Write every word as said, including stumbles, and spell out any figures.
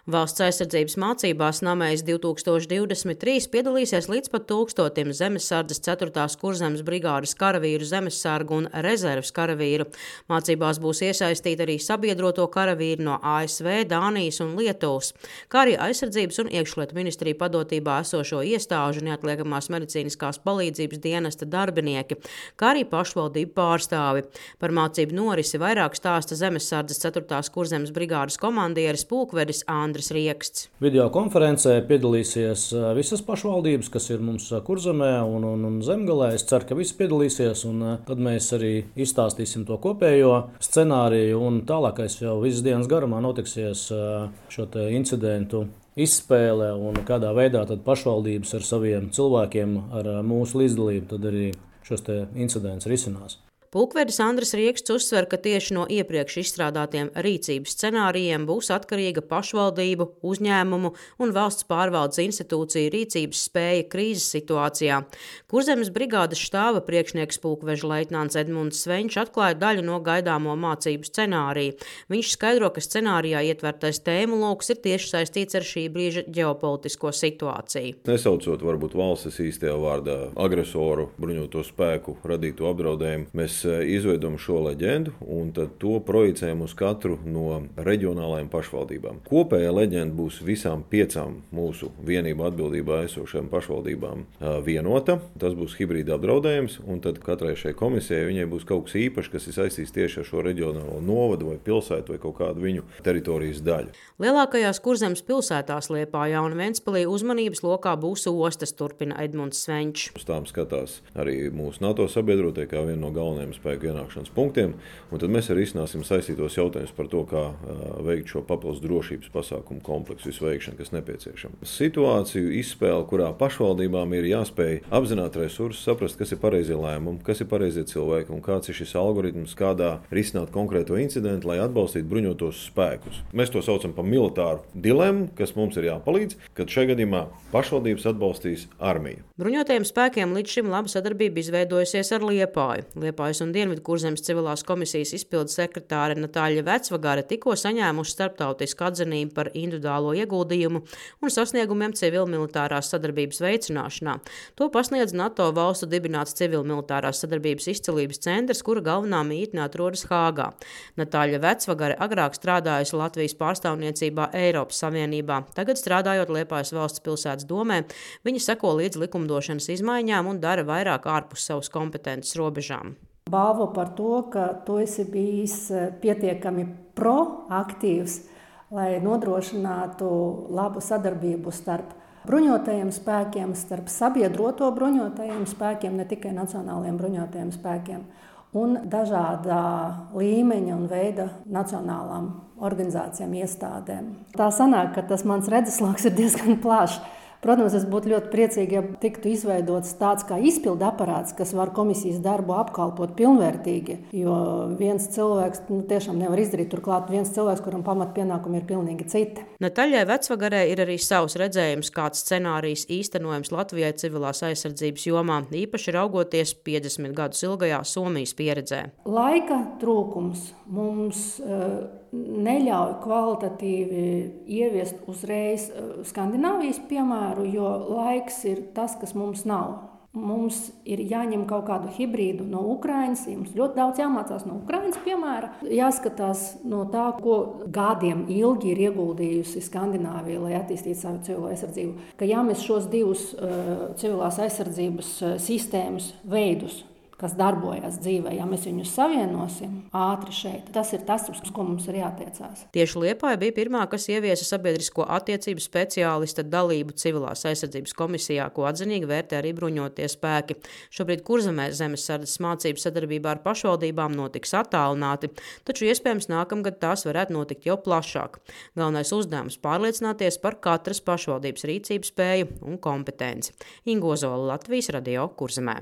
Valsts aizsardzības mācībās Namējs divi tūkstoši divdesmit trīs piedalīsies līdz pat tūkstotim zemesardzes ceturtās kurzemes brigādes karavīru, zemesargu un rezerves karavīru. Mācībās būs iesaistīti arī sabiedroto karavīri no A S V, Dānijas un Lietuvas, kā arī aizsardzības un iekšlietu ministriju padotībā esošo iestāžu neatliekamās medicīniskās palīdzības dienesta darbinieki, kā arī pašvaldību pārstāvi. Par mācību norisi vairāk stāsta zemesardzes ceturtās kurzemes brigādes komandieris pulkvedis Andris Rieksts. Video konferencē piedalīsies visas pašvaldības, kas ir mums Kurzemē un, un, un Zemgalē. Es ceru, ka visi piedalīsies, un tad mēs arī izstāstīsim to kopējo scenāriju, un tālākais jau visas dienas garumā notiksies šo te incidentu izspēle un kādā veidā tad pašvaldības ar saviem cilvēkiem, ar mūsu līdzdalību, tad arī šos te incidents risinās. Pulkvedis Andris Rieksts uzsver, ka tieši no iepriekš izstrādātiem rīcības scenārijiem būs atkarīga pašvaldību, uzņēmumu un valsts pārvaldes institūciju rīcības spēja krīzes situācijā. Kurzemes brigādes štāba priekšnieks pulkveža leitnants Edmunds Svenčs atklāja daļu no gaidāmo mācību scenāriju. Viņš skaidro, ka scenārijā ietvertais tēmu lokus ir tieši saistīts ar šī brīža ģeopolitisko situāciju. Nesaucot varbūt valstis īstajā vārdā agresoru, bruņoto spēku radīto apdraudējumu, mēs izveidojam šo leģendu un tad to projicējam uz katru no reģionālajām pašvaldībām. Kopējā leģenda būs visām piecām mūsu vienību atbildībā esošajām pašvaldībām vienota. Tas būs hibrīda apdraudējums, un tad katrai šai komisijai viņai būs kaut kas īpašs, kas ir saistīts tieši ar šo reģionālo novadu vai pilsētu vai kaut kādu viņu teritorijas daļu. Lielākajās Kurzemes pilsētās Liepājā un Ventspilī uzmanības lokā būs ostas, turpina Edmunds Svenčs. Uz tām skatās arī mūsu NATO sabiedrotie kā viena no galvenajiem spēku ienākšanas punktiem, un tad mēs arī izsnāsim saistītos jautājumus par to, kā uh, veikt šo papildus drošības pasākumu kompleksu izveikšanu, kas nepieciešama. Situāciju izspēle, kurā pašvaldībām ir jāspēj apzināt resursus, saprast, kas ir pareizie lēmumi, kas ir pareizie cilvēki un kāds ir šis algoritms, kādā risināt konkrēto incidentu, lai atbalstītu bruņotos spēkus. Mēs to saucam par militāru dilemmu, kas mums ir jāpalīdz, kad šajā gadījumā pašvaldības atbalstīs armiju. Bruņotajiem spēkiem līdz šim laba sadarbība izveidojusies ar Liepāju. Liepājas un Dienvidu Kurzemes civilās komisijas izpildes sekretāre Natāļa Vecvagare tikko saņēmuši starptautisku atzinību par individuālo ieguldījumu un sasniegumiem civil-militārās sadarbības veicināšanā. To pasniedz NATO valstu dibināts civil-militārās sadarbības izcilības centrs, kura galvenā mītne atrodas Hāgā. Natāļa Vecvagare agrāk strādājusi Latvijas pārstāvniecībā Eiropas Savienībā. Tagad strādājot Liepājas valsts pilsētas domē, viņa seko līdz likumdošanas izmaiņām un dara vairāk ārpus savas kompetences robežām. Balvu par to, ka tu esi bijis pietiekami proaktīvs, lai nodrošinātu labu sadarbību starp bruņotajiem spēkiem, starp sabiedroto bruņotajiem spēkiem, ne tikai nacionālajiem bruņotajiem spēkiem, un dažādā līmeņa un veida nacionālām organizācijām, iestādēm. Tā sanāk, ka tas mans redzesloks ir diezgan plašs. Protams, es būtu ļoti priecīgi, ja tiktu izveidots tāds kā izpildu aparāts, kas var komisijas darbu apkalpot pilnvērtīgi, jo viens cilvēks nu, tiešām nevar izdarīt, turklāt viens cilvēks, kuram pamatpienākumi ir pilnīgi citi. Natāļai Vecvagarē ir arī savs redzējums, kāds scenārijs īstenojams Latvijai civilās aizsardzības jomā, īpaši raugoties piecdesmit gadus ilgajā Somijas pieredzē. Laika trūkums mums uh, neļauj kvalitatīvi ieviest uzreiz Skandināvijas piemēru, jo laiks ir tas, kas mums nav. Mums ir jāņem kaut kādu hibrīdu no Ukrainas, mums ļoti daudz jāmācās no Ukrainas piemēra. Jāskatās no tā, ko gadiem ilgi ir ieguldījusi Skandināvija, lai attīstītu savu civilo aizsardzību. Ka ja mēs šos divus uh, civilās aizsardzības uh, sistēmas veidus, kas darbojas dzīvē, ja mēs viņus savienosim ātri šeit. Tas ir tas, uz ko mums ir jātiecās. Tieši Liepāja bija pirmā, kas ieviesa sabiedrisko attiecību speciālista dalību civilās aizsardzības komisijā, ko atzinīgi vērtē arī bruņotie spēki. Šobrīd Kurzemē zemesardzes mācību sadarbībā ar pašvaldībām notiks attālināti, taču iespējams nākamgad tās varētu notikt jau plašāk. Galvenais uzdevums pārliecināties par katras pašvaldības rīcības spēju un kompetenci. Inga Ozola, Latvijas radio, Kurzemē.